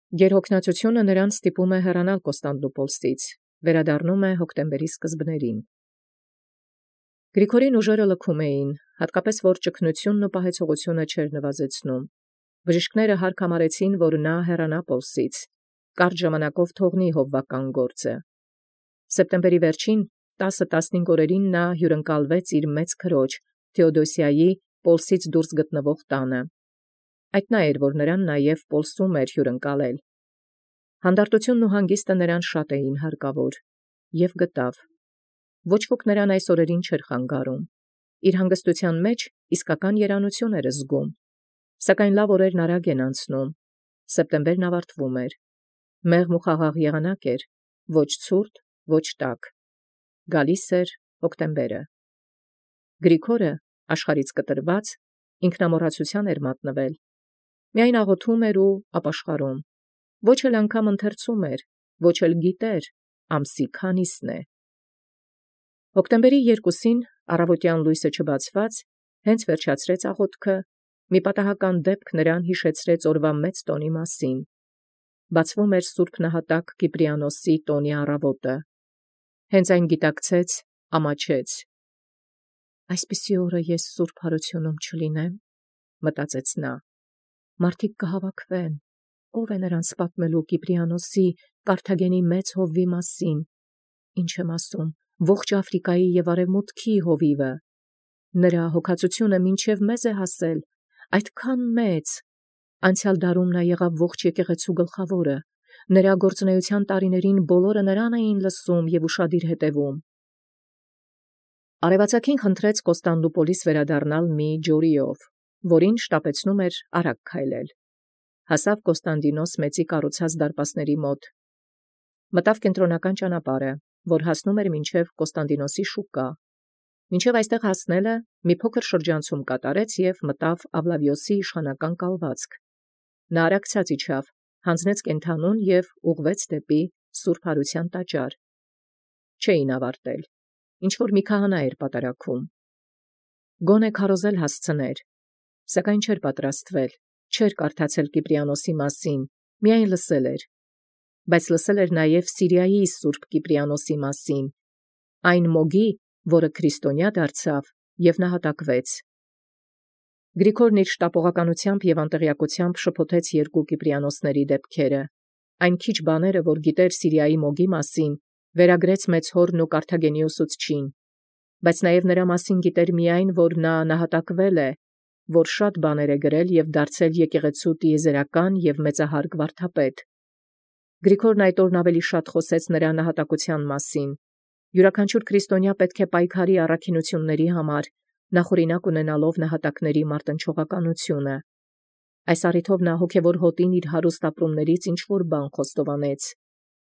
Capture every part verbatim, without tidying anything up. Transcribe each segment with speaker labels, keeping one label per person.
Speaker 1: Գերհոգնածությունը նրան ստիպում է հեռանալ Կոստանդնուպոլսից, վերադառնում է հոկտեմբերի սկզբներին։ Գրիգորին ուժերը լքում էին, հատկապես որ ճգնությունն ու պահեցողությունը չէր նվազեցնում։ Բժիշկները հարկ համարեցին, որ նա հեռանա Պոլսից, կարճ ժամանակով թողնի հովվական գործը։ Սեպտեմբերի վերջին տասը տասնհինգ օրերին նա հյուրընկալվեց իր մեծ քրոջ Թեոդոսիայի Պոլսից դուրս գտնվող տանը։ Այդ նա էր, որ նրան նաև Պոլսում էր հյուրընկալել։ Հանդարտությունն ու հանգիստը նրան շատ էին հարկավոր, և գտավ։ Ոչ ոք նրան այս օրերին չէր խանգարում։ Իր հանգստութեան մեջ իսկական երանություն էր զգում։ Սակայն լավ օրերն արագ են անցնում։ Սեպտեմբերն ավարտվում էր։ Մեղմ ու խաղաղ եղանակ էր, ոչ ցուրտ, ոչ տաք։ Գալիս էր հոկտեմբերը։ Գրիգորը, աշխարհից կտրված, ինքնամոռացության էր մատնվել։ Միայն աղոթում էր ու ապաշխարում։ Ոչ էլ անգամ ընթերցում էր, ոչ էլ գիտեր ամսի քանիսն է։ Հոկտեմբերի երկուսին առավոտյան լույսը չբացված, հենց վերջացրեց աղոթքը, մի պատահական դեպք նրան յիշեցրեց օրվա մեծ տոնի մասին։ Բացվում էր Սուրբ Նահատակ Կիպրիանոսի տոնի առավոտը։ Հենց այն գիտակցեց, ամաչեց։ «Այսպիսի օրը ես սուրբ հարությունում չլինեմ», մտածեց նա։ Մարդիկ կհավաքվեն, ով է նրանց պատմելու Կիպրիանոսի Կարթագենի մեծ հովվի մասին։ Ինչ եմ ասում, ողջ Աֆրիկայի և Արևմուտքի հովիվը։ Նրա հոգածությունը մինչև մեզ է հասել, այդքան մեծ։ Անցյալ դարում նա եղավ ողջ եկեղեցու գլխավորը։ Նրա գործունեության տարիներին բոլորը նրան էին լսում և ուշադիր հետևում։ Արևածագին խնդրեց Կոստանդնուպոլիս վերադառնալ մի ջորիով, որին շտապեցնում էր արագ քայլել։ Հասավ Կոստանդինոս մեծի կառուցած դարպասների մոտ։ Մտավ կենտրոնական ճանապարհը, որ հասնում էր մինչև Կոստանդինոսի շուկա։ Մինչև այստեղ հասնելը մի փոքր շրջանցում կատարեց և մտավ Ավլավիոսի իշխանական կալվածք։ Նա արագ իջավ, հանձնեց կենդանուն և ուղղվեց դեպի Սուրբ Հարության տաճար։ Չէին ավարտել։ Ինչ-որ մի քահանա էր պատարագում։ Գոնե քարոզել հասցներ, սակայն չէր պատրաստվել, չէր կարդացել Կիպրիանոսի մասին, միայն լսել էր։ Բայց լսել էր նաև Սիրիայի Սուրբ Կիպրիանոսի մասին, այն մոգի, որը քրիստոնյա դարձավ և նահատակվեց։ Գրիգորն իր շտապողականությամբ և անտեղյակությամբ շփոթեց երկու Կիպրիանոսների դեպքերը։ Այն քիչ բաները, որ գիտեր Սիրիայի մոգի մասին, վերագրեց մեծ հորն ու Կարթագենի ուսուցչին, բայց նաև նրա մասին գիտեր միայն, որ նա նահատակվել է, որ շատ բաներ է գրել և դարձել եկեղեցու տիեզերական և մեծահարգ վարդապետ։ Գրիգորն այդ օրն ավելի շատ խոսեց նրա նահատակության մասին։ Յուրաքանչյուր քրիստոնյա պետք է պայքարի առաքինությունների համար, նախօրինակ ունենալով նահատակների մարտնչողականությունը։ Այս առիթով նա հոգևոր հոտին իր հարուստ ապրումներից ինչ-որ բան խոստովանեց։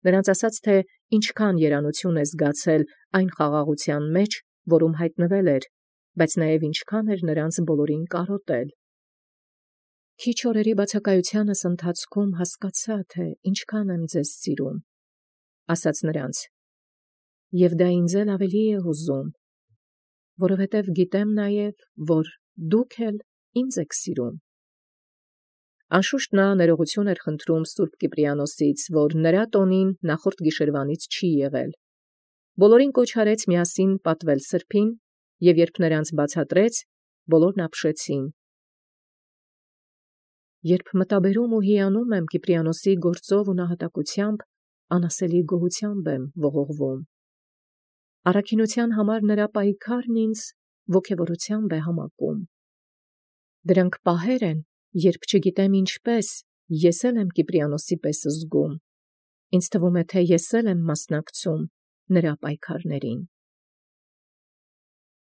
Speaker 1: Նրանց ասաց, թե ինչքան երանություն է զգացել այն խաղաղության մեջ, որում հայտնվել էր, բայց նաև ինչքան էր նրանց բոլորին կարոտել։ Քիչ օրերի բացակայությանս ընթացքում հասկացա, թե ինչքան եմ ձեզ սիրում, ասաց նրանց, և դա ինձ էլ ավելի է հուզում, որովհետև գիտեմ նաև, որ դուք էլ ինձ եք սիրում։ Անշուշտ նա ներողություն էր խնդրում Սուրբ Կիպրիանոսից, որ նրա տոնին նախորդ գիշերվանից չի եղել։ Բոլորին կոչ արեց միասին պատվել սրբին, և երբ նրանց բացատրեց, բոլորն ապշեցին։ Երբ մտաբերում ու հիանում եմ Կիպրիանոսի գործով ու նահատակությամբ, անասելի գոհությամբ եմ ողողվում։ Առաքինության համար նրա պայքարն ինձ ոգևորությամբ է համակում։ Դրանք պահեր են, երբ չգիտեմ ինչպես, ես էլ եմ Կիպրիանոսի պես զգում։ Ինձ թվում է, թե ես էլ եմ մասնակցում նրա պայքարներին։